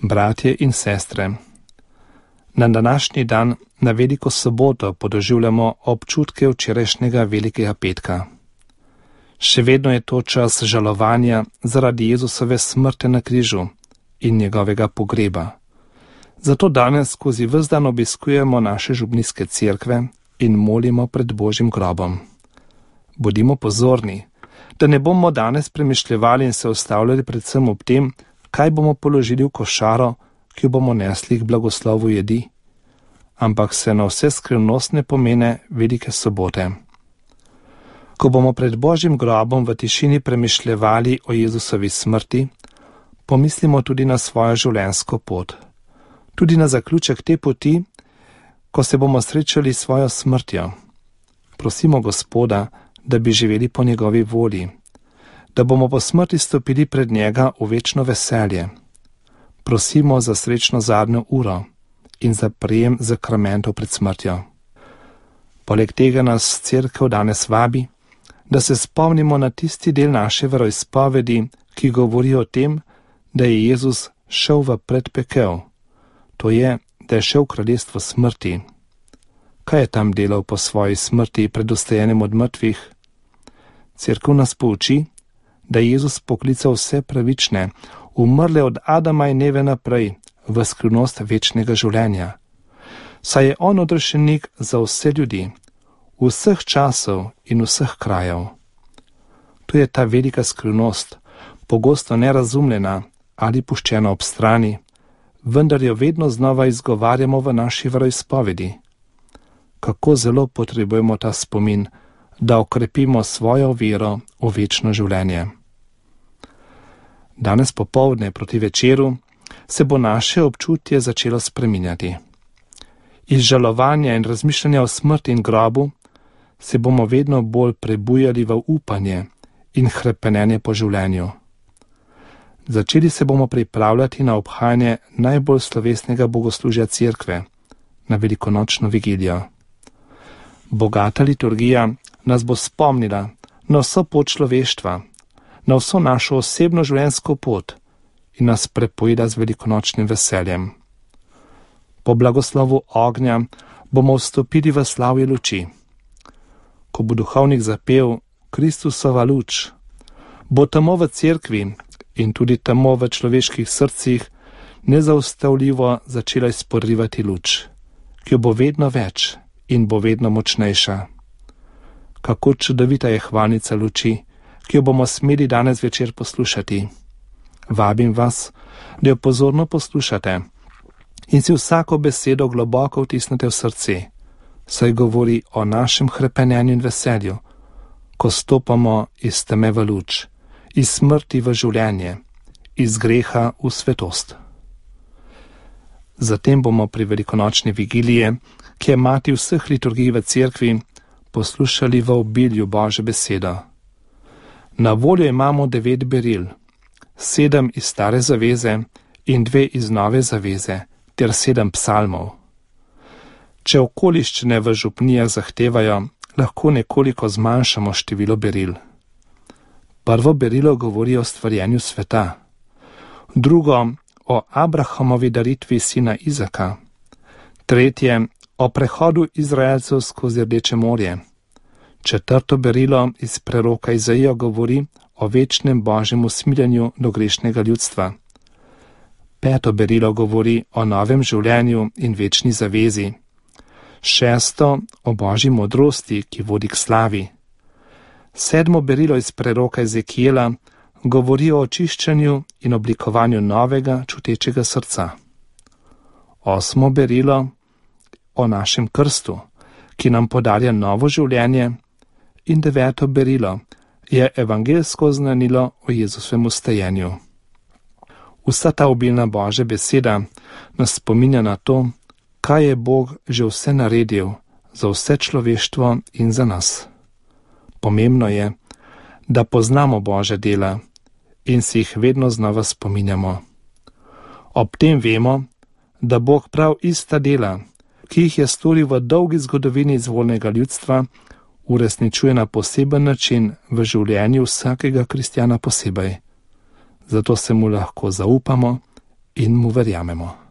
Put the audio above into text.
bratje in sestre. Na današnji dan, na veliko soboto, podoživljamo občutke včerajšnjega velikega petka. Še vedno je to čas žalovanja zaradi Jezusove smrti na križu in njegovega pogreba. Zato danes skozi ves dan obiskujemo naše župnijske cerkve in molimo pred Božjim grobom. Bodimo pozorni, da ne bomo danes premišljevali in se ustavljali predvsem ob tem, kaj bomo položili v košaro, ki jo bomo nesli k blagoslovu jedi, ampak se na vse skrivnostne pomene velike sobote. Ko bomo pred Božjim grobom v tišini premišljevali o Jezusovi smrti, pomislimo tudi na svojo življenjsko pot. Tudi na zaključek te poti, ko se bomo srečali s svojo smrtjo. Prosimo Gospoda, da bi živeli po njegovi volji, da bomo po smrti stopili pred njega v večno veselje. Prosimo za srečno zadnjo uro in za prijem zakramentov pred smrtjo. Poleg tega nas cerkev danes vabi, da se spomnimo na tisti del naše veroizpovedi, ki govori o tem, da je Jezus šel v predpekel, to je, da je šel v kraljestvo smrti. Kaj je tam delal po svoji smrti pred vstajanjem od mrtvih? Cerkev nas pouči, da je Jezus poklical vse pravične, umrle od Adama in Eve naprej, v skrivnost večnega življenja. Saj je on odrešenik za vse ljudi, vseh časov in vseh krajev. To je ta velika skrivnost, pogosto nerazumljena ali puščena ob strani, vendar jo vedno znova izgovarjamo v naši veroizpovedi. Kako zelo potrebujemo ta spomin, da okrepimo svojo vero v večno življenje. Danes popoldne proti večeru se bo naše občutje začelo spreminjati. Iz žalovanja in razmišljanja o smrti in grobu se bomo vedno bolj prebujali v upanje in hrepenenje po življenju. Začeli se bomo pripravljati na obhajanje najbolj slovesnega bogoslužja cerkve, na velikonočno vigilijo. Bogata liturgija nas bo spomnila na vso pot človeštva, na vso našo osebno življenjsko pot in nas prepojila z velikonočnim veseljem. Po blagoslovu ognja bomo vstopili v slavje luči. Ko bo duhovnik zapel Kristusova luč, bo tamo v cerkvi in tudi tamo v človeških srcih nezaustavljivo začela izporivati luč, ki jo bo vedno več in bo vedno močnejša. Kako čudovita je hvalnica luči, ki jo bomo smeli danes večer poslušati. Vabim vas, da jo pozorno poslušate in si vsako besedo globoko vtisnete v srce, saj govori o našem hrepenenju in veselju, ko stopamo iz teme v luč, iz smrti v življenje, iz greha v svetost. Zatem bomo pri velikonočni vigiliji, ki je mati vseh liturgij v cerkvi, poslušali v obilju Božje besedo. Na voljo imamo 9 beril, 7 iz stare zaveze in 2 iz nove zaveze, ter 7 psalmov. Če okoliščine v župnijah zahtevajo, lahko nekoliko zmanjšamo število beril. Prvo berilo govori o stvarjenju sveta, drugo o Abrahamovi daritvi sina Izaka, tretje o prehodu Izraelcev skozi Rdeče morje, četrto berilo iz preroka Izaija govori o večnem Božjem usmiljenju do grešnega ljudstva, peto berilo govori o novem življenju in večni zavezi, šesto o Božji modrosti, ki vodi k slavi, sedmo berilo iz preroka Ezekijela govori o očiščenju in oblikovanju novega čutečega srca, osmo berilo o našem krstu, ki nam podarja novo življenje, in deveto berilo je evangeljsko oznanilo o Jezusovem vstajenju. Vsa ta obilna Božja beseda nas spominja na to, kaj je Bog že vse naredil za vse človeštvo in za nas. Pomembno je, da poznamo Božja dela in si jih vedno znova spominjamo. Ob tem vemo, da Bog prav ista dela, ki jih je storil v dolgi zgodovini izvoljenega ljudstva, uresničuje na poseben način v življenju vsakega kristjana posebej. Zato se mu lahko zaupamo in mu verjamemo.